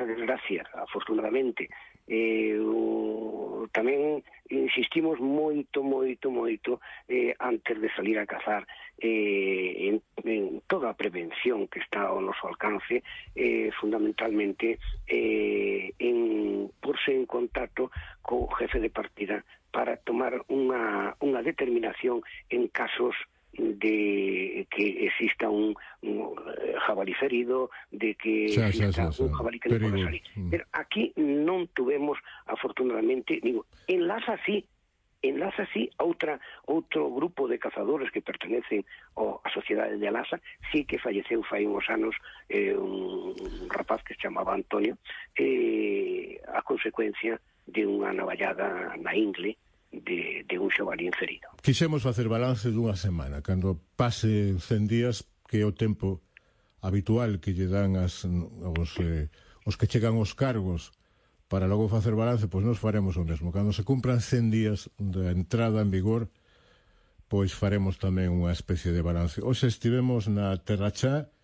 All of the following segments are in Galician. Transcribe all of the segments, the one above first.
esa desgracia, afortunadamente. Tamén insistimos moito antes de salir a cazar en toda a prevención que está ao noso alcance, fundamentalmente en porse en contacto co jefe de partida para tomar unha determinación en casos de que exista un jabalí ferido, de que exista un jabalí que non pode salir. Pero aquí non tuvemos, afortunadamente, enlaza así outro grupo de cazadores que pertenecen á Sociedade de Alasa, sí que falleceu fai uns anos un rapaz que se chamaba Antonio, a consecuencia de unha navallada na ingle de un xabalí ferido. Quixemos facer balance dunha semana, cando pase 100 días, que é o tempo habitual que lle dan os que chegan aos cargos para logo facer balance, pois nos faremos o mesmo. Cando se cumpran 100 días da entrada en vigor, pois faremos tamén unha especie de balance. Hoxe estivemos na Terra Chá,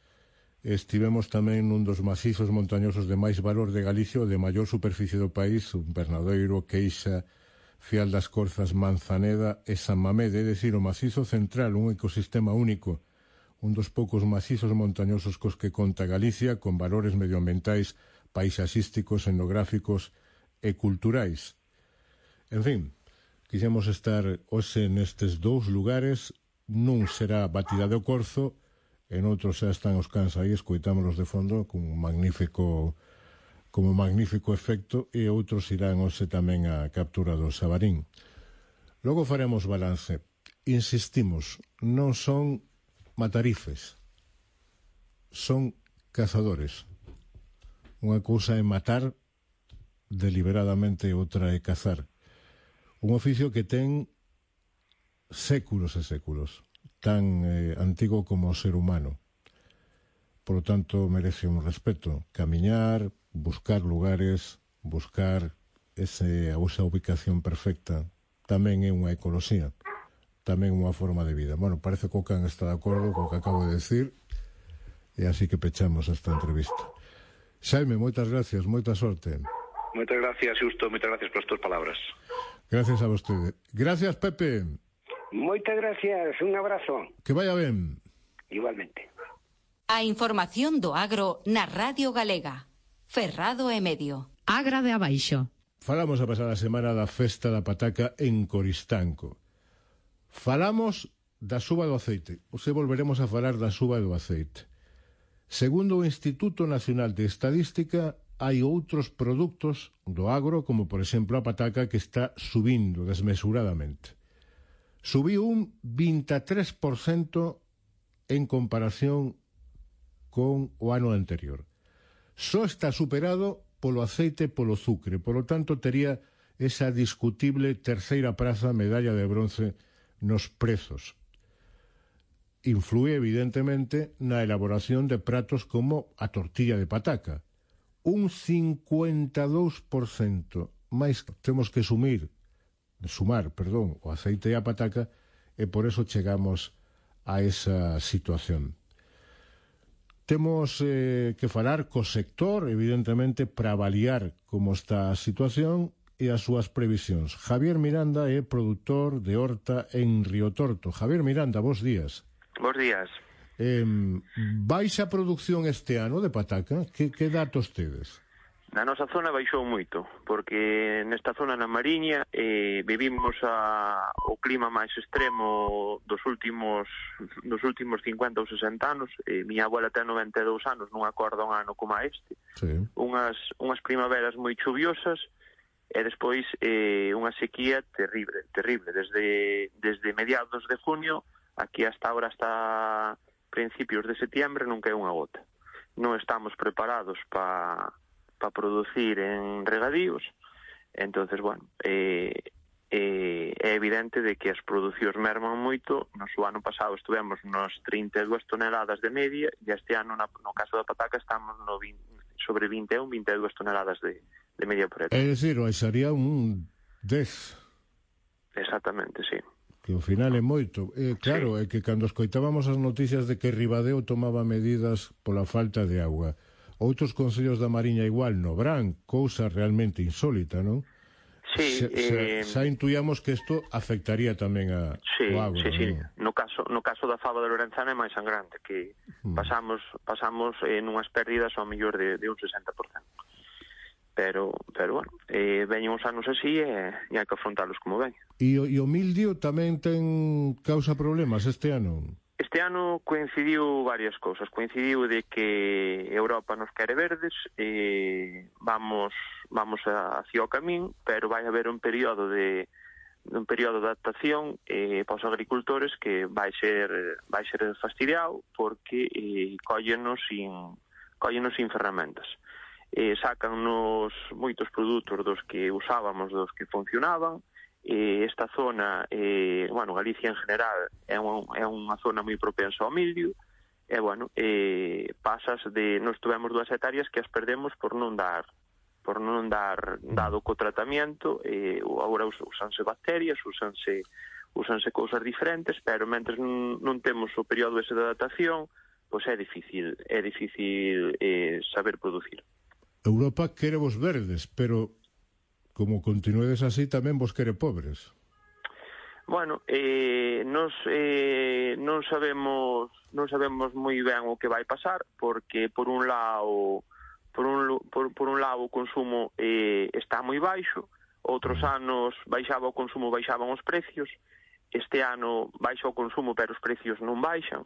estivemos tamén nun dos macizos montañosos de máis valor de Galicia, o de maior superficie do país, un Bernadoiro, Queixa, Fial das Corzas, Manzaneda e San Mamede, é dicir, o macizo central, un ecosistema único, un dos poucos macizos montañosos cos que conta Galicia, con valores medioambientais, paisaxísticos, etnográficos e culturais. En fin, quixemos estar hoxe nestes dous lugares, nun será Batida do Corzo, en outros xa están os cans aí, escoitámolos de fondo, como magnífico efecto, e outros irán hoxe tamén a captura do xabarín. Logo faremos balance. Insistimos, non son matarifes, son cazadores. Unha cousa é matar deliberadamente, outra é cazar. Un oficio que ten séculos e séculos, tan antigo como o ser humano. Por lo tanto, merece un respeto. Camiñar, buscar lugares, buscar esa ubicación perfecta, tamén é unha ecoloxía, tamén unha forma de vida. Bueno, parece que o can está de acordo co que acabo de decir, e así que pechamos esta entrevista. Xaime, moitas gracias, moita sorte. Moitas gracias, Xusto, moitas gracias por as túas palabras. Gracias a vostede. Gracias, Pepe. Moitas gracias, un abrazo. Que vaya ben. Igualmente. A información do agro na Radio Galega. Ferrado e Medio. Agra de Abaixo. Falamos a pasada semana da festa da pataca en Coristanco. Falamos da suba do aceite. Hoxe volveremos a falar da suba do aceite. Segundo o Instituto Nacional de Estadística, hai outros produtos do agro, como por exemplo a pataca, que está subindo desmesuradamente. Subiu un 23% en comparación con o ano anterior. Só está superado polo aceite e polo azucre, polo tanto tería esa discutible terceira praza, medalla de bronce nos prezos. Inflúe evidentemente na elaboración de pratos como a tortilla de pataca. Un 52% máis temos que sumar, o aceite e a pataca, e por eso chegamos a esa situación. Temos que falar co sector, evidentemente, para avaliar como está a situación e as súas previsións. Javier Miranda é produtor de horta en Río Torto. Javier Miranda, bos días. Bos días. Baixa a produción este ano de pataca? Que datos tedes? Na nosa zona baixou moito, porque nesta zona na Mariña vivimos o clima máis extremo dos últimos 50 ou 60 anos. Miña abuela ten 92 anos, non acorda un ano como este. Sí. Unhas primaveras moi chuviosas e despois unha sequía terrible. Desde mediados de junio, aquí hasta ahora, hasta principios de setiembre, non cae unha gota. Non estamos preparados para producir en regadíos. Entonces, bueno, é evidente de que as producións merman moito. No ano pasado estivemos nos 32 toneladas de media, e este ano, no caso da pataca, estamos sobre 21-22 toneladas de media por hectárea. É dicir, baixaría un 10. Exactamente, sí. Que ao final é moito. Claro, sí. É que cando escoitábamos as noticias de que Ribadeo tomaba medidas pola falta de auga, outros concellos da Mariña igual no Brán, cousa realmente insólita, non? Sí, xa intuíamos que isto afectaría tamén o agro, sí. non? No caso da fava de Lorenzana é máis sangrante, que pasamos nunhas pérdidas ao mellor de un 60%. Pero bueno, veñen uns anos así e hai que afrontalos como ven. E o mildio tamén ten causa problemas este ano? Este ano coincidiu varias cousas. Coincidiu de que Europa nos quere verdes, vamos hacia o camín, pero vai haber un período de adaptación para os agricultores que vai ser fastidiado porque cóllenos sin ferramentas. Sácannos moitos produtos dos que usábamos, dos que funcionaban. Esta zona, Galicia en general é unha zona moi propensa ao mildio, nos tuvemos 2 hectáreas que as perdemos por non dar dado co tratamento. Agora usanse bacterias, usanse cousas diferentes, pero mentres non temos o período ese de adaptación, pois é difícil saber producir. Europa quere vos verdes, pero como continuedes así, tamén vos quere pobres. Bueno, non sabemos moi ben o que vai pasar, porque por un lado o consumo está moi baixo, outros anos baixaba o consumo, baixaban os precios, este ano baixa o consumo pero os precios non baixan.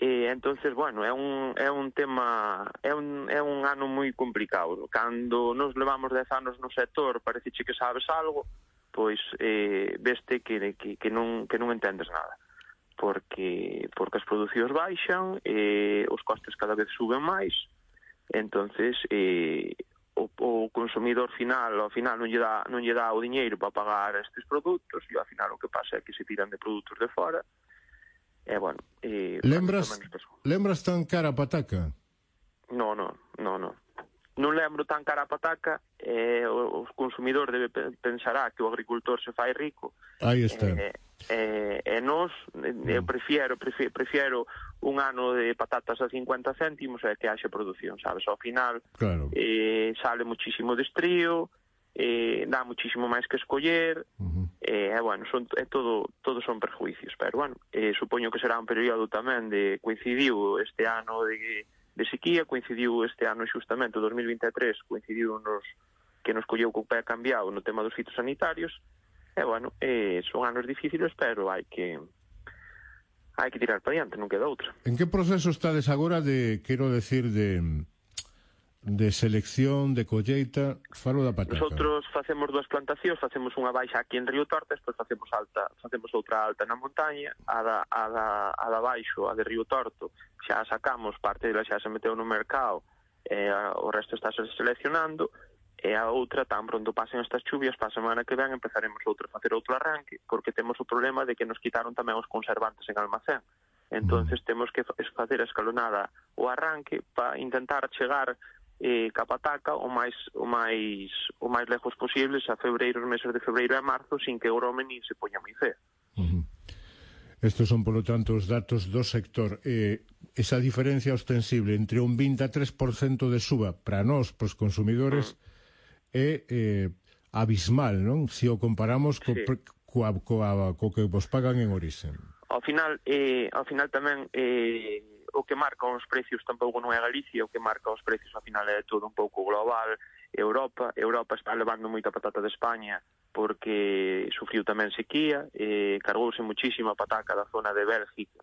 Entonces, bueno, é un tema, é un ano moi complicado. Cando nos levamos 10 anos no sector, pareceche que sabes algo, pois veste que non entendes nada. Porque as producións baixan, os costes cada vez suben máis, entonces o consumidor final, ao final non lle dá o diñeiro para pagar estes produtos, e ao final o que pasa é que se tiran de produtos de fora. Lembras tan cara a pataca? Non lembro tan cara a pataca. O consumidor pensará que o agricultor se fai rico. Aí está. Nós, eu prefiero un ano de patatas a 50 céntimos e que haxe produción, sabes? Ao final, claro. Sale muchísimo de estrío, dá muchísimo máis que escoller, todos son perjuicios, pero supoño que será un período tamén coincidiu este ano de sequía, coincidiu este ano xustamente o 2023, coincidiu que nos colleu co pé cambiado no tema dos fitosanitarios, son anos difíciles, pero hai que tirar para diante, non queda outra. En que proceso estades agora de selección, de colleita? Falo da pataca. Nosotros facemos 2 plantacións, facemos unha baixa aquí en Río Torta, despois facemos outra alta na montaña. A da baixo, a de Río Torto, xa sacamos, parte dela xa se meteu no mercado, o resto está seleccionando, e a outra, tan pronto pasen estas chuvias, para a semana que ven empezaremos a facer outro arranque, porque temos o problema de que nos quitaron tamén os conservantes en almacén. Entonces temos que facer a escalonada o arranque para intentar chegar ca pataca o máis lejos posibles a os meses de febreiro e marzo, sin que o grome nin se poña moi fea. Estos son, polo tanto, os datos do sector. Esa diferencia ostensible entre un 23% de suba para nós, para os consumidores, é abismal, non? Se o comparamos co que vos pagan en orixe. Ao final tamén o que marca os precios tampouco non é Galicia, o que marca os precios ao final é todo un pouco global. Europa está levando moita patata de España porque sufriu tamén sequía, cargouse muchísima pataca da zona de Bélgica,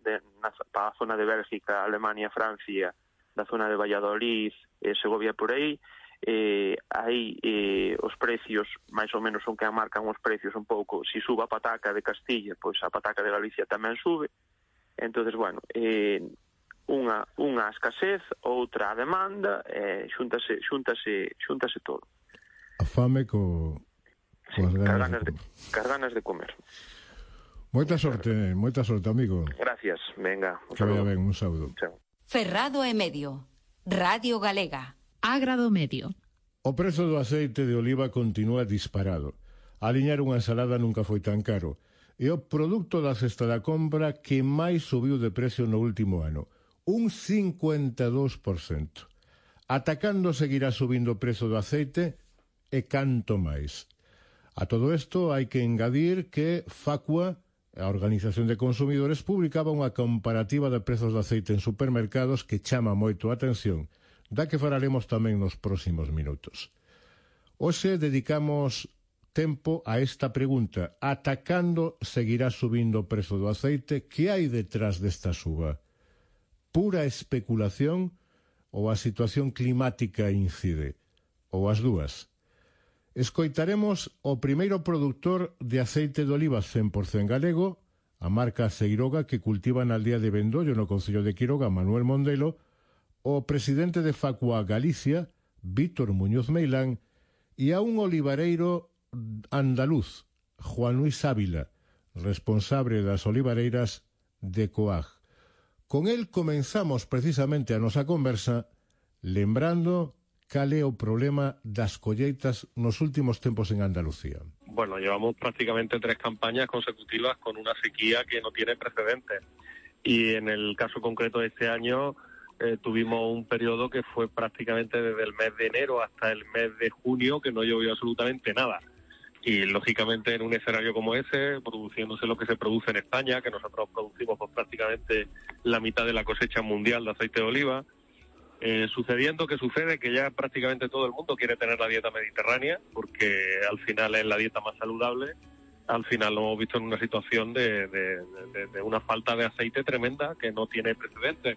para a zona de Bélgica, Alemania, Francia, da zona de Valladolid, Segovia por aí. Aí os precios máis ou menos son que marcan os precios un pouco. Se sube a pataca de Castilla, pois a pataca de Galicia tamén sube. Entonces, unha escasez, outra a demanda, xúntase todo. A fame coas ganas de comer. Moita sorte, amigo. Gracias, venga. Que vaya ben, un saúdo. Chao. Ferrado e Medio, Radio Galega. Agrado Medio. O prezo do aceite de oliva continúa disparado. Aliñar unha ensalada nunca foi tan caro. É o produto da cesta da compra que máis subiu de precio no último ano. Un 52%. ata cando seguirá subindo o prezo do aceite e canto máis? A todo isto hai que engadir que Facua, a Organización de Consumidores, publicaba unha comparativa de prezos de aceite en supermercados que chama moito a atención, da que falaremos tamén nos próximos minutos. Hoxe dedicamos tempo a esta pregunta: ata cando seguirá subindo o prezo do aceite? Que hai detrás desta suba? Pura especulación ou a situación climática incide? Ou as dúas? Escoitaremos o primeiro produtor de aceite de oliva 100% galego, a marca Seiroga, que cultiva na aldea de Vendollo, no concello de Quiroga, Manuel Mondelo, o presidente de Facua Galicia, Víctor Muñoz Meilán, e a un olivareiro andaluz, Juan Luis Ávila, responsable das olivareiras de Coag. Con el comenzamos precisamente a nosa conversa lembrando cal é o problema das colleitas nos últimos tempos en Andalucía. Bueno, llevamos prácticamente 3 campañas consecutivas con una sequía que no tiene precedentes. Y en el caso concreto de este año tuvimos un periodo que fue prácticamente desde el mes de enero hasta el mes de junio que no llovió absolutamente nada. Y lógicamente en un escenario como ese, produciéndose lo que se produce en España, que nosotros producimos pues, prácticamente la mitad de la cosecha mundial de aceite de oliva, sucediendo que sucede que ya prácticamente todo el mundo quiere tener la dieta mediterránea, porque al final es la dieta más saludable. Al final lo hemos visto en una situación de una falta de aceite tremenda que no tiene precedentes.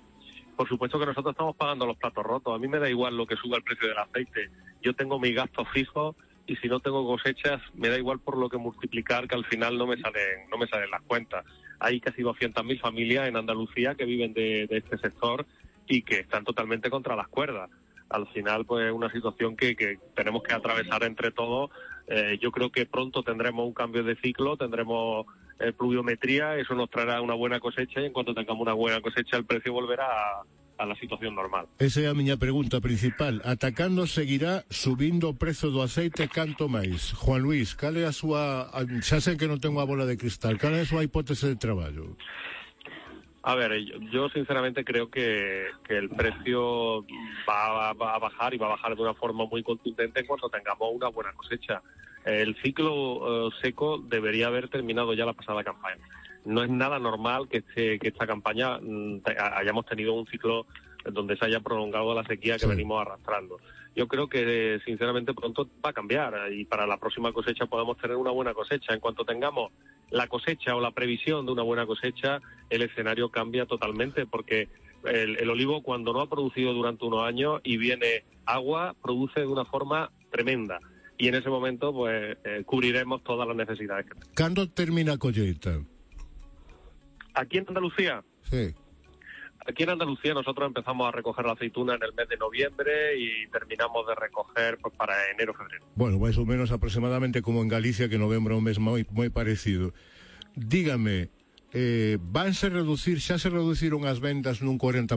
Por supuesto que nosotros estamos pagando los platos rotos. A mí me da igual lo que suba el precio del aceite. Yo tengo mis gastos fijos y si no tengo cosechas me da igual por lo que multiplicar, que al final no me salen las cuentas. Hay casi 200.000 familias en Andalucía que viven de este sector y que están totalmente contra las cuerdas. Al final, pues es una situación que tenemos que atravesar entre todos. Yo creo que pronto tendremos un cambio de ciclo, tendremos pluviometría, eso nos traerá una buena cosecha y en cuanto tengamos una buena cosecha el precio volverá a la situación normal. Esa é a miña pregunta principal. Ata cando seguirá subindo o prezo do aceite canto máis? Juan Luis, cal é a súa... Xa sei que non tengo a bola de cristal. Cal é a súa hipótese de traballo? A ver, yo sinceramente creo que el precio va a bajar y va a bajar de una forma muy contundente en cuanto tengamos una buena cosecha. El ciclo seco debería haber terminado ya la pasada campaña. No es nada normal que esta campaña hayamos tenido un ciclo donde se haya prolongado la sequía que venimos arrastrando. Yo creo que sinceramente pronto va a cambiar y para la próxima cosecha podamos tener una buena cosecha. En cuanto tengamos la cosecha o la previsión de una buena cosecha, el escenario cambia totalmente porque el olivo cuando no ha producido durante unos años y viene agua, produce de una forma tremenda. Y en ese momento pues cubriremos todas las necesidades que tenemos. ¿Cuándo termina colleita? Aquí en Andalucía. Sí. Aquí en Andalucía nosotros empezamos a recoger la aceituna en el mes de noviembre y terminamos de recoger pues, para enero, febrero. Bueno, máis ou menos aproximadamente como en Galicia, que novembro é un mes moi parecido. Dígame, vanse reducir, xa se reduciron as vendas nun 40%?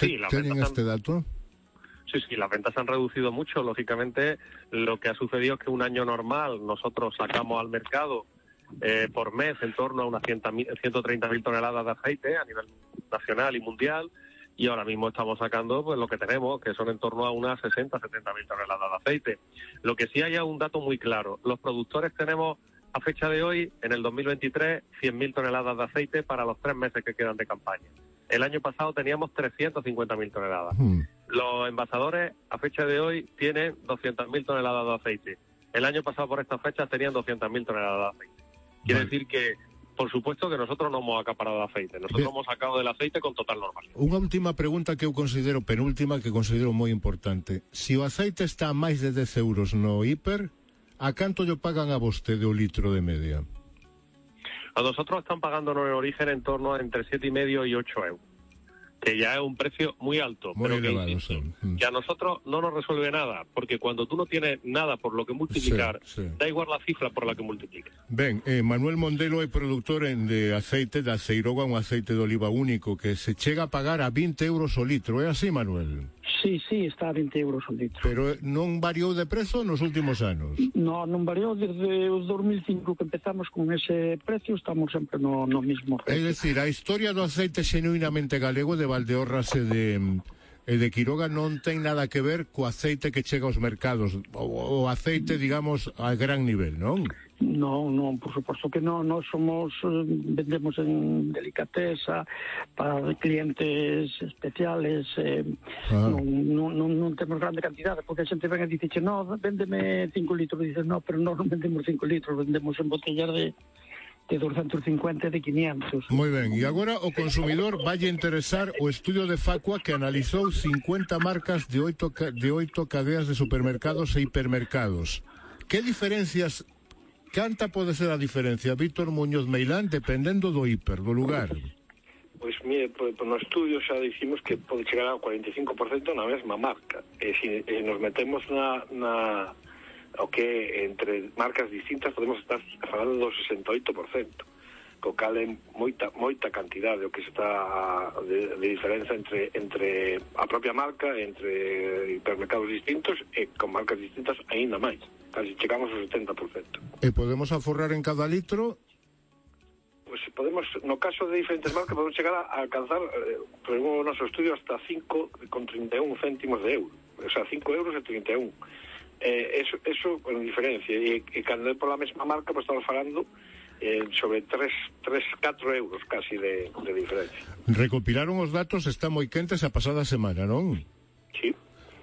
Sí, las ¿Teñen ventas este dato? Sí, las ventas han reducido mucho. Lógicamente, lo que ha sucedido es que un año normal nosotros sacamos al mercado por mes en torno a unas 130.000 toneladas de aceite a nivel nacional y mundial, y ahora mismo estamos sacando pues lo que tenemos, que son en torno a unas 60.000 toneladas de aceite. Lo que sí hay es un dato muy claro. Los productores tenemos a fecha de hoy, en el 2023, 100.000 toneladas de aceite para los 3 meses que quedan de campaña. El año pasado teníamos 350.000 toneladas. Los envasadores a fecha de hoy tienen 200.000 toneladas de aceite. El año pasado por estas fechas tenían 200.000 toneladas de aceite. Quiere decir que, por supuesto, que nosotros no hemos acaparado de aceite. Nosotros hemos sacado del aceite con total normalidad. Unha última pregunta que eu considero, penúltima, que considero moi importante. Si o aceite está a máis de 10 euros no hiper, a canto lle pagan a vostede o litro de media? A nosotros están pagando en origen en torno a entre 7,5 y 8 euros. Que ya es un precio muy alto, muy pero elevado, que a nosotros no nos resuelve nada, porque cuando tú no tienes nada por lo que multiplicar, da igual la cifra por la que multipliques. Ben, Manuel Mondelo é produtor de aceite da Seiroga, un aceite de oliva único, que se chega a pagar a 20 euros o litro, é así, Manuel? Sí, está a 20 euros o litro. Pero non variou de prezo nos últimos anos? Non variou desde o 2005 que empezamos con ese precio, estamos sempre no mismo precio. É dicir, a historia do aceite xenuinamente galego de Valdeorras e de Quiroga non ten nada que ver co aceite que chega aos mercados, o aceite, digamos, a gran nivel, non? Non, por suposto que non. Nós vendemos en delicatesa para clientes especiales, non temos grande cantidade, porque a xente ven e dice, no, véndeme 5 litros, dices, no, pero non vendemos 5 litros, vendemos en botellas de 250 e de 500. Moi ben, e agora o consumidor valle interesar o estudio de Facua que analizou 50 marcas de 8 cadeas de supermercados e hipermercados. Que diferencias, canta pode ser a diferencia, Víctor Muñoz Meilán, dependendo do hiper, do lugar? Pois, mire, no estudio xa dicimos que pode chegar ao 45% na mesma marca. E se nos metemos na o que entre marcas distintas podemos estar falando do 68%, co cal é moita cantidade o que se está de diferenza entre a propia marca, entre hipermercados distintos e con marcas distintas aínda máis, casi chegamos ao 70%. E podemos aforrar en cada litro? Pois podemos, no caso de diferentes marcas, podemos chegar a alcanzar, por o noso estudio, hasta 5,31 céntimos de euro, o sea, 5 euros e 31. Eso con diferencia, e cando é pola mesma marca, pues estamos falando sobre 3-4 euros casi de diferencia. Recopilaron os datos, está moi quentes a pasada semana, non? Sí.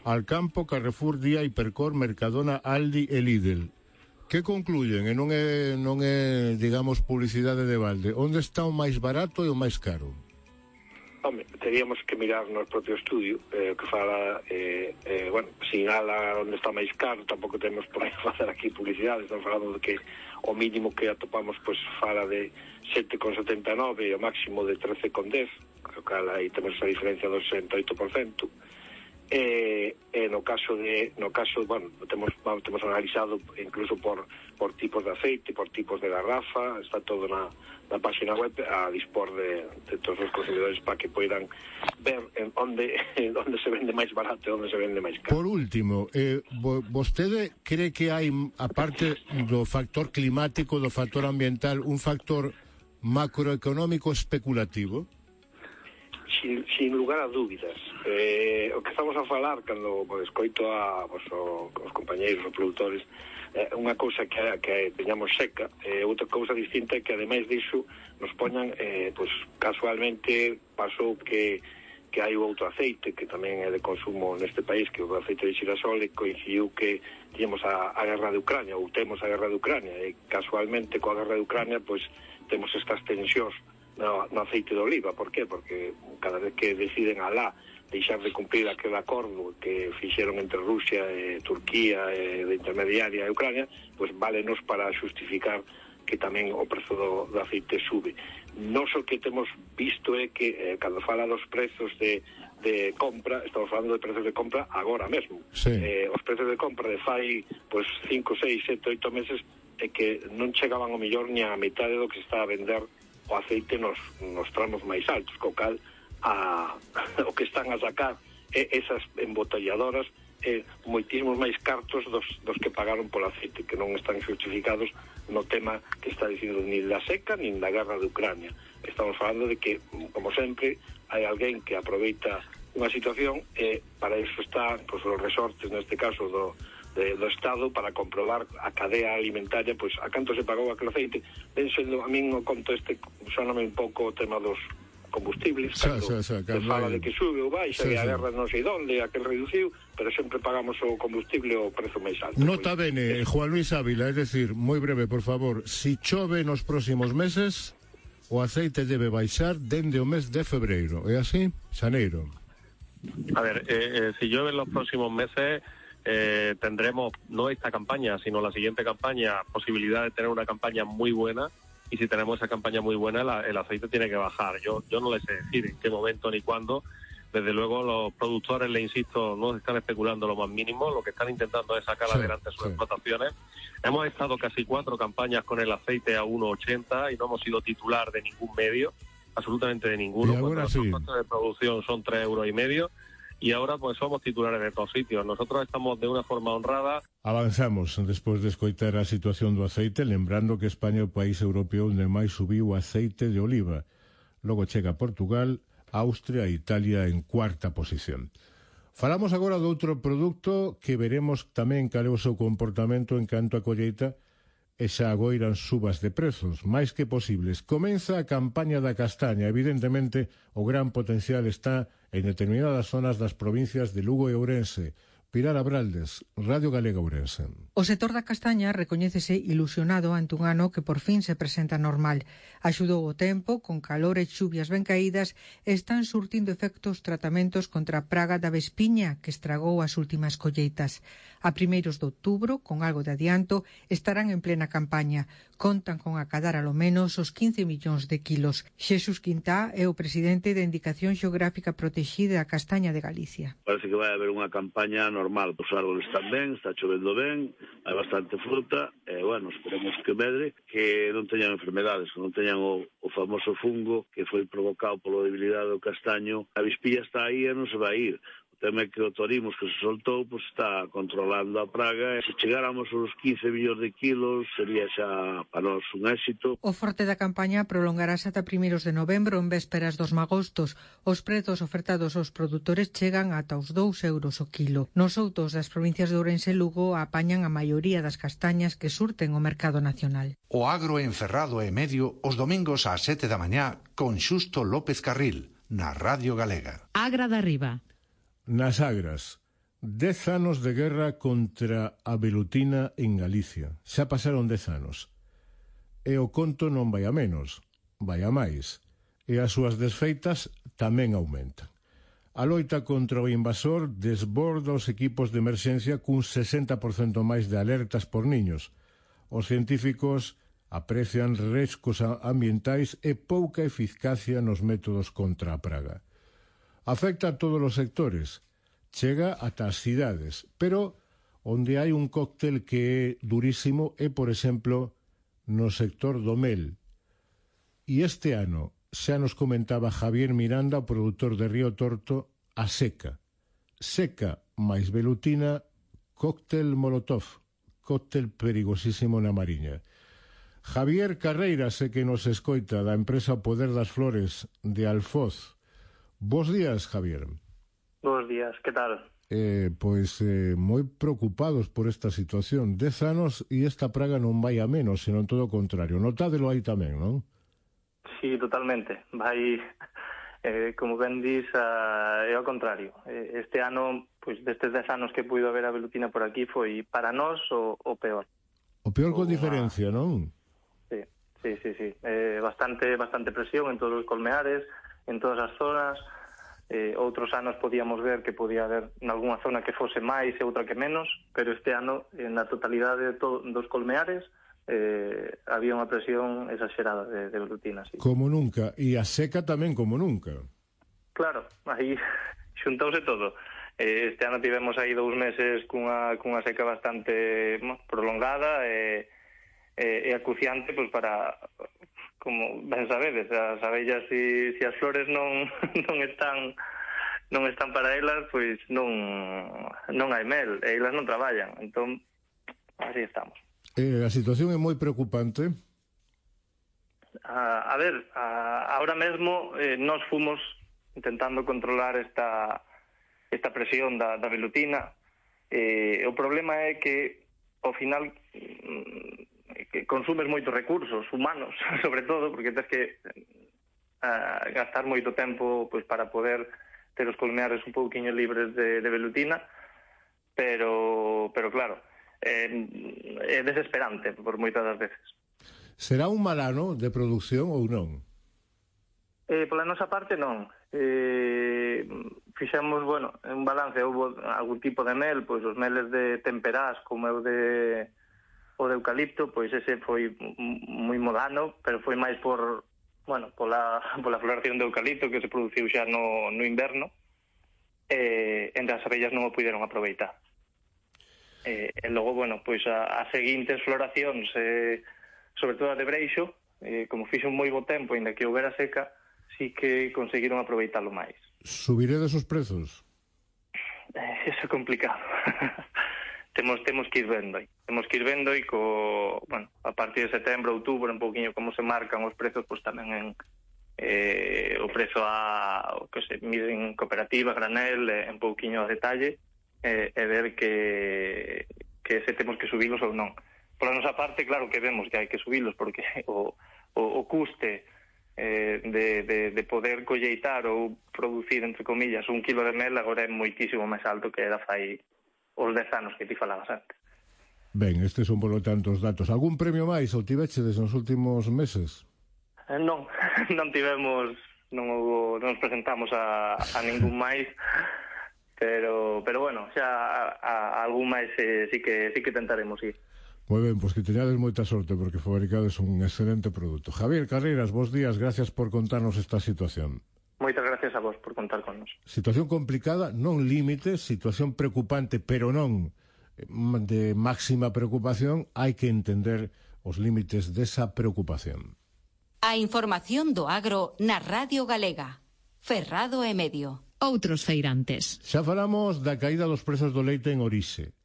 Alcampo, Carrefour, Día, Hipercor, Mercadona, Aldi e Lidl. Que concluyen? E non é, digamos, publicidade de balde. Onde está o máis barato e o máis caro? Home, teríamos que mirar no propio estudio que fala, sinala onde está máis caro, tampouco temos por aí facer aquí publicidade, estamos falando de que o mínimo que atopamos pois fala de 7,79 e o máximo de 13,10, co cal aí temos esa diferencia do 68%. No caso, bueno, temos analizado incluso por tipos de aceite, por tipos de garrafa, está todo na página web a dispor de todos os consumidores para que poidan ver onde se vende máis barato e onde se vende máis caro. Por último, vostede cree que hai, aparte do factor climático, do factor ambiental, un factor macroeconómico especulativo? Sin lugar a dúbidas. O que estamos a falar cando escoito os compañeiros, os produtores, unha cousa que teñamos seca, outra cousa distinta é que ademais disso nos poñan, casualmente pasou que hai outro aceite que tamén é de consumo neste país, que é o aceite de xirasol, e coincidiu que tínhamos a guerra de Ucrania, ou temos a guerra de Ucrania, e casualmente coa guerra de Ucrania temos estas tensións no aceite de oliva. Por qué? Porque cada vez que deciden alá deixar de cumprir aquel acordo que fixeron entre Rusia e Turquía de intermediaria e Ucrania, pues válenos para justificar que tamén o prezo do aceite sube. Non só que temos visto é que cando fala dos prezos de compra, estamos falando de prezos de compra agora mesmo. Sí. Os prezos de compra de fai 5, 6, 7, 8 meses é que non chegaban ao millor ni a metade do que se está a vender o aceite nos tramos máis altos, co cal o que están a sacar esas embotelladoras moitísimos máis cartos dos que pagaron polo aceite, que non están justificados no tema que está dicindo nin da seca nin da guerra de Ucrania. Estamos falando de que, como sempre, hai alguén que aproveita unha situación e para iso está os resortes, neste caso do Estado, para comprobar a cadea alimentaria, pois a canto se pagou aquel aceite. Ben sendo, a min o conto soname un pouco o tema dos combustibles, cando se fala de que sube ou baixa, e a guerra non sei onde, aquel reduciu, pero sempre pagamos o combustible o prezo máis alto. Nota bene, Juan Luis Ávila, es decir, moi breve, por favor, si chove nos próximos meses, o aceite debe baixar dende o mes de febreiro, é así? Xaneiro. A ver, si llueve en los próximos meses, tendremos, no esta campaña, sino la siguiente campaña, posibilidad de tener una campaña muy buena, y si tenemos esa campaña muy buena, el aceite tiene que bajar. Yo no les sé decir en qué momento ni cuándo. Desde luego los productores, le insisto, no están especulando lo más mínimo, lo que están intentando es sacar adelante sus explotaciones. Hemos estado casi 4 campañas con el aceite a 1,80 y no hemos sido titular de ningún medio, absolutamente de ninguno. Y ahora cuando los costes de producción son 3,5 euros, y ahora pues somos titulares de todos sitios. Nosotros estamos de una forma honrada. Avanzamos despois de escoitar a situación do aceite, lembrando que España é o país europeo onde máis subiu o aceite de oliva. Logo chega Portugal, Austria e Italia en cuarta posición. Falamos agora de outro produto que veremos tamén cal é o seu comportamento en canto a colleita e xa agoiran subas de prezos, máis que posibles. Comeza a campaña da castaña. Evidentemente, o gran potencial está en determinadas zonas das provincias de Lugo e Ourense. Pilar Abraldes, Radio Galega Ourense. O sector da castaña recoñécese ilusionado ante un ano que por fin se presenta normal. Axudou o tempo, con calor e chuvias ben caídas, están surtindo efectos tratamentos contra a praga da vespiña que estragou as últimas colleitas. A primeiros de outubro, con algo de adianto, estarán en plena campaña. Contan con acadar alo menos os 15 millóns de kilos. Xesús Quintá é o presidente da Indicación Xeográfica Protexida a Castaña de Galicia. Parece que vai haber unha campaña normal. Os árboles están ben, está chovendo ben, hai bastante fruta, e, bueno, esperemos que medre, que non teñan enfermedades, que non teñan o famoso fungo que foi provocado pola debilidade do castaño. A vispilla está aí e non se vai ir. O tema é que o torimos que se soltou, pues está controlando a praga, e se chegáramos aos 15 millóns de kilos sería xa para nós un éxito. O forte da campaña prolongarase ata primeiros de novembro en vésperas dos magostos. Os prezos ofertados aos produtores chegan ata os 2 euros o kilo. Nos outos das provincias de Ourense e Lugo apañan a maioría das castañas que surten o mercado nacional. O agro en Ferrado e Medio os domingos ás 7 da mañá con Xusto López Carril na Radio Galega. Agra da Riba. Nas Agras, 10 anos de guerra contra a velutina en Galicia. Xa pasaron 10 anos. E o conto non vai a menos, vai a máis. E as súas desfeitas tamén aumentan. A loita contra o invasor desborda os equipos de emerxencia cun 60% máis de alertas por niños. Os científicos aprecian riscos ambientais e pouca eficacia nos métodos contra a praga. Afecta a todos os sectores, chega ata as cidades, pero onde hai un cóctel que é durísimo é, por exemplo, no sector do mel. E este ano, xa nos comentaba Javier Miranda, o produtor de Río Torto, a seca. Seca máis velutina, cóctel molotov, cóctel perigosísimo na Mariña. Javier Carreira, sé que nos escoita, da empresa Poder das Flores de Alfoz. Bos días, Javier. Bos días, que tal? Moi preocupados por esta situación. 10 anos e esta praga non vai a menos, senón todo o contrario. Notádelo aí tamén, non? Sí, totalmente. Vai, como ben dis, é ao contrario. Este ano, pois destes 10 anos que puido haber a velutina por aquí, foi para nós o peor. O peor con diferencia, non? Sí. Bastante presión en todos os colmeares, en todas as zonas. Outros anos podíamos ver que podía haber nalgúna zona que fose máis e outra que menos, pero este ano, na totalidade dos colmeares, había unha presión exagerada de velutina. Sí. Como nunca, e a seca tamén como nunca. Claro, aí xuntouse todo. Este ano tivemos aí 2 meses cunha seca bastante prolongada e acuciante, pois para... Como ben sabedes, as abellas e as flores non están para elas, pois non hai mel, e elas non traballan. Entón, así estamos. A situación é moi preocupante. A ver, ahora mesmo nós fomos intentando controlar esta presión da velutina. O problema é que, ao final... que consumes moitos recursos humanos, sobre todo, porque tens que gastar moito tempo pois para poder ter os colmeares un pouquiño libres de velutina, pero claro, é desesperante por moitas das veces. Será un mal ano de produción ou non? Pola nosa parte non. Fixemos, un balance, houve algún tipo de mel, pois os meles de temperás, como é o de eucalipto, pois ese foi moi modano, pero foi máis pola floración de eucalipto que se produciu xa no inverno, entre as abellas non o puideron aproveitar. E logo, pois as seguintes floracións, sobre todo a de breixo, como fixo un moi bo tempo, ainda que houbera seca, sí que conseguiron aproveitalo máis. Subiredes os prezos? Eso é complicado. Temos que ir vendo aí. Temos que ir vendo aí a partir de setembro, outubro, un pouquinho como se marcan os prezos, pois tamén en o prezo o que se mide en cooperativa, granel, un pouquinho a detalle, e ver que se temos que subilos ou non. Por a nosa parte, claro que vemos que hai que subilos, porque o custe de poder colleitar ou producir, entre comillas, 1 kilo de mel agora é moitísimo máis alto que era fai os 10 anos que ti falabas antes. Ben, estes son, polo tanto, os datos. Algún premio máis ou tivechedes nos últimos meses? Non tivemos, non nos presentamos a ningún máis, pero bueno, xa a algún máis sí que tentaremos ir. Moi ben, pois que teñades moita sorte porque fabricades un excelente produto. Javier Carreras, bons días, gracias por contarnos esta situación. Moitas gracias a vos por contar con nos. Situación complicada, non límite, situación preocupante, pero non de máxima preocupación, hai que entender os límites desa preocupación. A información do agro na Radio Galega. Ferrado e Medio. Outros feirantes. Xa falamos da caída dos prezos do leite en Orixe,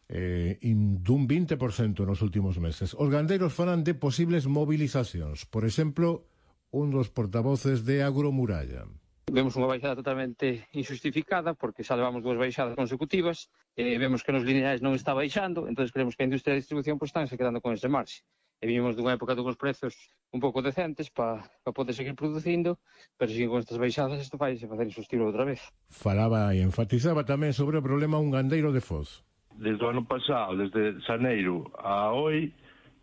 dun 20% nos últimos meses. Os gandeiros falan de posibles movilizacións. Por exemplo, un dos portavoces de Agromuralla. Vemos unha baixada totalmente injustificada porque xa levamos 2 baixadas consecutivas, vemos que nos lineais non está baixando, entón creemos que a industria de distribución están se quedando con ese marxe. E vimos dunha época dun prezos un pouco decentes para poder seguir producindo, pero sin con estas baixadas isto vai se facer insostible outra vez. Falaba e enfatizaba tamén sobre o problema un gandeiro de Foz. Desde o ano pasado, desde xaneiro a hoy,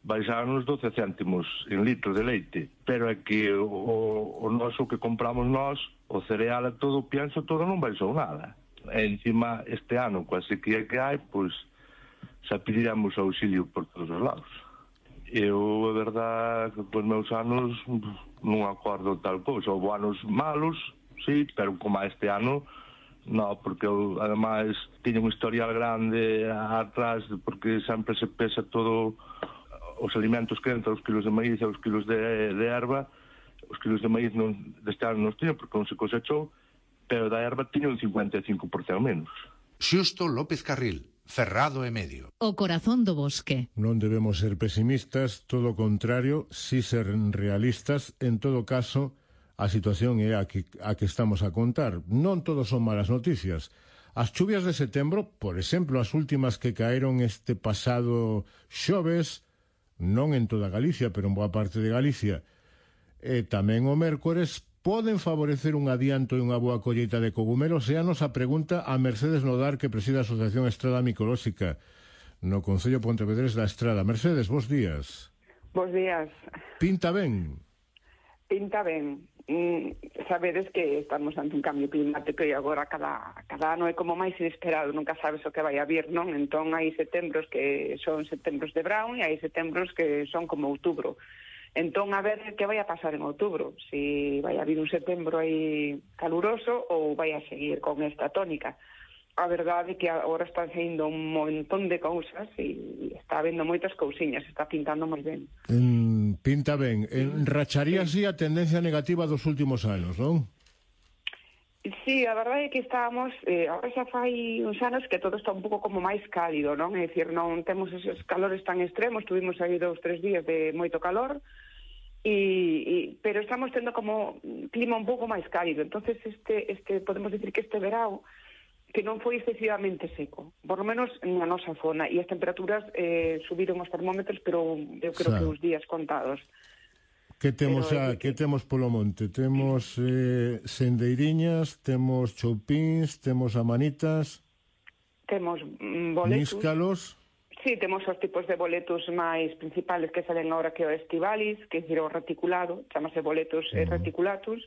baixaron os 12 céntimos en litro de leite, pero é que o noso que compramos nós, o cereal e todo, o pienso todo non baixou nada. E encima este ano, coa sequía que hai, pois xa pediremos auxilio por todos os lados. Eu, a verdad, que cos meus anos non acordo tal cousa. Houve anos malos, sí, pero como este ano, non, porque eu, ademais, tiña un historial grande atrás, porque sempre se pesa todo os alimentos que entran, os kilos de maíz e os kilos de erva. Os kilos de maíz deste ano non tiña, porque non se cosechou, pero da erva tiña un 55% menos. Xusto López Carril, Ferrado e Medio. O corazón do bosque. Non debemos ser pesimistas, todo o contrario, si ser realistas. En todo caso, a situación é a que estamos a contar. Non todos son malas noticias. As chuvias de setembro, por exemplo, as últimas que caeron este pasado xoves, non en toda Galicia, pero en boa parte de Galicia, e tamén o mércores, poden favorecer un adianto e unha boa colleita de cogumelos. E a nosa pregunta a Mercedes Nodar, que preside a Asociación Estrada Micolóxica no Concello Pontevedrés da Estrada. Mercedes, bons días. Bos días. Pinta ben? Pinta ben. Sabedes que estamos ante un cambio climático e agora cada ano é como máis inesperado, nunca sabes o que vai a vir, non? Entón hai setembros que son setembros de Brown e hai setembros que son como outubro. Entón, a ver que vai a pasar en outubro, si vai a vir un setembro aí caluroso ou vai a seguir con esta tónica. A verdade é que agora están saindo un montón de cousas e está habendo moitas cousiñas, está pintando moi ben. Pinta ben. Racharía así a tendencia negativa dos últimos anos, non? Sí, a verdade é que estábamos, agora xa fai uns anos que todo está un pouco como máis cálido, non? É dicir, non temos esos calores tan extremos, tuvimos aí 2 ou 3 días de moito calor, pero estamos tendo como clima un pouco máis cálido. Entonces podemos decir que este verao que non foi excesivamente seco, por lo menos na nosa zona, e as temperaturas subiron os termómetros, pero eu creo que os días contados. Que temos que temos polo monte? Temos sendeiriñas, temos choupíns, temos amanitas, temos boletus, níscalos. Sí, temos os tipos de boletus máis principales que salen agora, que o estivalis, que é dicir o reticulado, chamase boletus reticulatus,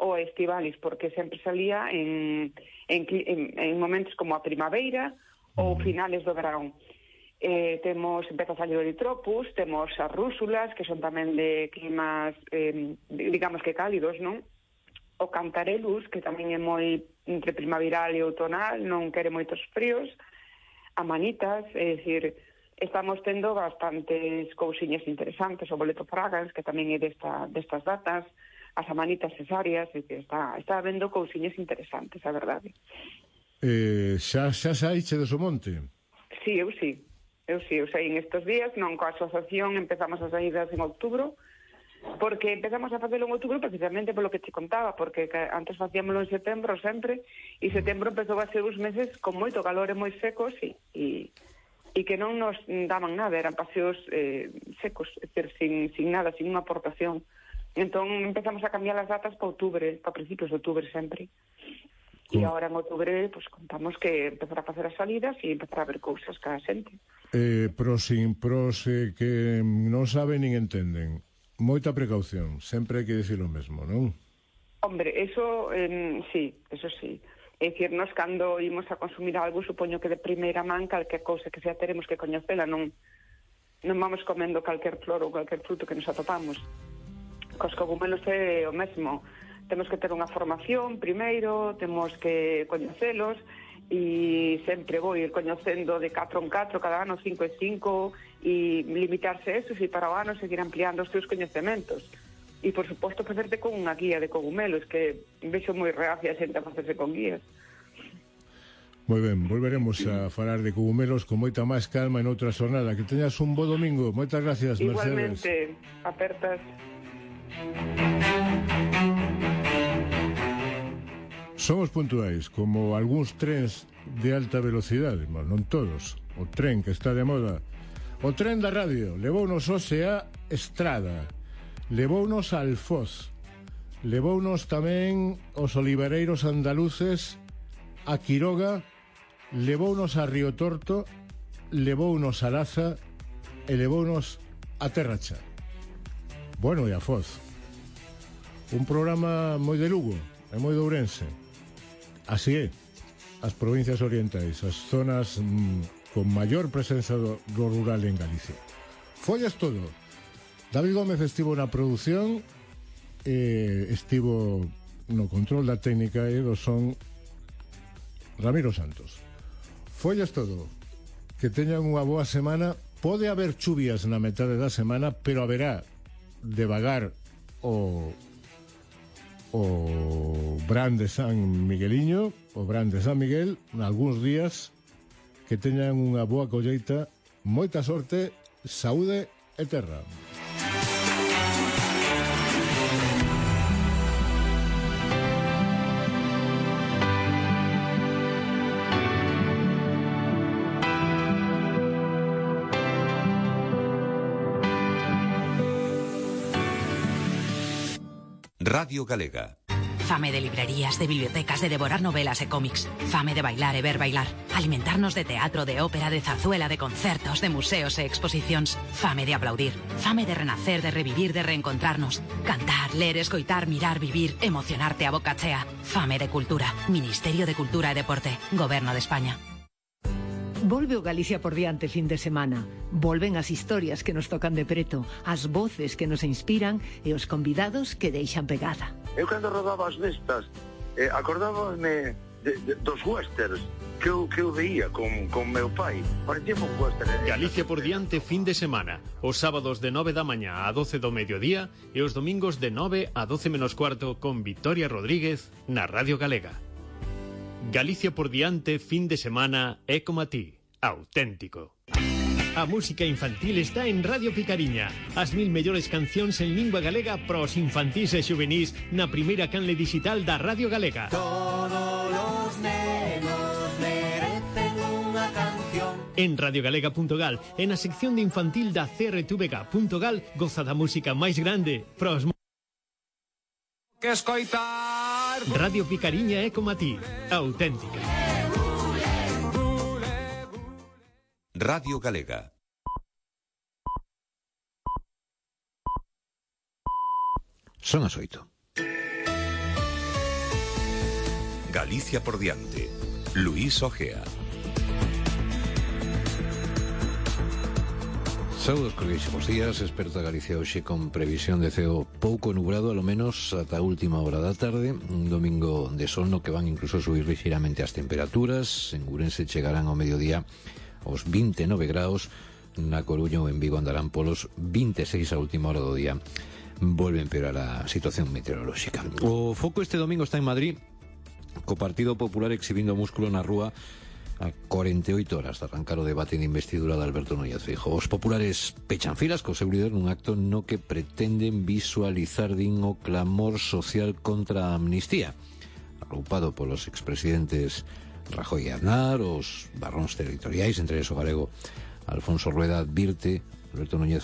ou estivalis, porque sempre salía en momentos como a primavera ou finales do verão. Temos, empeza a salir o eritropus, temos as rúsulas, que son tamén de climas, digamos que cálidos, non? O cantarelus, que tamén é moi entre primaveral e outonal, non quere moitos fríos. Amanitas, é dicir, estamos tendo bastantes cousiñas interesantes. O boleto fragans, que tamén é destas datas, as amanitas cesáreas, está habendo cousiñas interesantes, a verdade. Xa saíche do Somonte? Sí, eu saí en estes días, non coa asociación, empezamos as saídas en outubro, porque empezamos a facelo en outubro precisamente polo que te contaba, porque antes facíamolo en setembro sempre, e setembro empezou a ser uns meses con moito calor e moi secos e que non nos daban nada, eran paseos secos, é dicir, sin nada, sin unha aportación. Entón empezamos a cambiar as datas para outubro, para principios de outubro sempre. E agora en outubro pues, contamos que empezar a facer as salidas e empezar a ver cousas cada xente. Pros que non saben nin entenden. Moita precaución, sempre hai que dicir o mesmo, non? Hombre, eso sí, eso sí. É dicir, nos cando imos a consumir algo, supoño que de primeira man calquer cousa que xa teremos que coñecela, non vamos comendo calquer flor ou calquer fruto que nos atopamos. Cos cogumelos é o mesmo. Temos que ter unha formación primeiro, temos que coñecelos e sempre vou ir coñecendo de 4 en 4, cada ano 5 en 5 e limitarse a eso e para o ano seguir ampliando os teus coñecementos. E, por suposto, facerte con unha guía de cogumelos, que vexo moi reacia a xente a facerse con guías. Moi ben, volveremos a falar de cogumelos con moita máis calma en outra xornada. Que teñas un bo domingo. Moitas gracias, Mercedes. Igualmente, apertas. Somos puntuais, como algúns trens de alta velocidade, mas non todos. O tren que está de moda. O tren da radio levounos hoxe a Estrada, levounos a Alfoz, levounos tamén os olivareiros andaluces a Quiroga, levounos a Río Torto, levounos a Laza e levounos a Terracha. Bueno, e a Foz. Un programa moi de Lugo e moi de Ourense. Así é, as provincias orientais, as zonas con maior presenza do rural en Galicia. Follas todo. David Gómez estivo na produción, estivo no control da técnica e do son Ramiro Santos. Follas todo. Que teñan unha boa semana. Pode haber chuvias na metade da semana, pero haberá devagar o Bran de San Migueliño, o Bran de San Miguel, nalgúns días. Que teñan unha boa colleita, moita sorte, saúde e terra. Radio Galega. Fame de librerías, de bibliotecas, de devorar novelas e cómics. Fame de bailar e ver bailar. Alimentarnos de teatro, de ópera, de zarzuela, de concertos, de museos e exposicións. Fame de aplaudir. Fame de renacer, de revivir, de reencontrarnos. Cantar, ler, escoitar, mirar, vivir, emocionarte a boca chea. Fame de cultura. Ministerio de Cultura e Deporte. Goberno de España. Volve o Galicia por diante fin de semana. Volven as historias que nos tocan de preto, as voces que nos inspiran e os convidados que deixan pegada. Eu cando rodaba as nestas, acordábame dos westerns que eu veía con meu pai. Parecía un western. Galicia por diante fin de semana. Os sábados de 9 da mañá a 12 do mediodía e os domingos de 9 a 12 menos cuarto con Victoria Rodríguez na Radio Galega. Galicia por diante fin de semana é como a ti, auténtico. A música infantil está en Radio Picariña. As 1000 mellores cancións en lingua galega pros infantís e xuvenís na primeira canle digital da Radio Galega. Todos los nenos merecen unha canción. En radiogalega.gal, en a sección de infantil da CRTVG.gal, goza da música máis grande pros que escoitar. Radio Picariña é como a ti, auténtica. Radio Galega. Son as 8. Galicia por diante. Luís Ojea. Saúdos cordialísimos días, experto da Galicia hoxe con previsión de ceo pouco nublado, alo menos ata a última hora da tarde, un domingo de sol no que van incluso subir lixeiramente as temperaturas. En Ourense chegarán ao mediodía aos 29 graus, na Coruña ou en Vigo andarán polos 26 a última hora do día. Volve a empeorar a situación meteorolóxica. O foco este domingo está en Madrid, co Partido Popular exhibindo músculo na rúa a 48 horas de arrancar o debate de investidura de Alberto Núñez Feijóo. Os populares pechan filas co seu líder nun acto no que pretenden visualizar o clamor social contra a amnistía, agrupado polos expresidentes Rajoy e Aznar, os barróns territoriais, entre eles o galego Alfonso Rueda. Advirte Alberto Núñez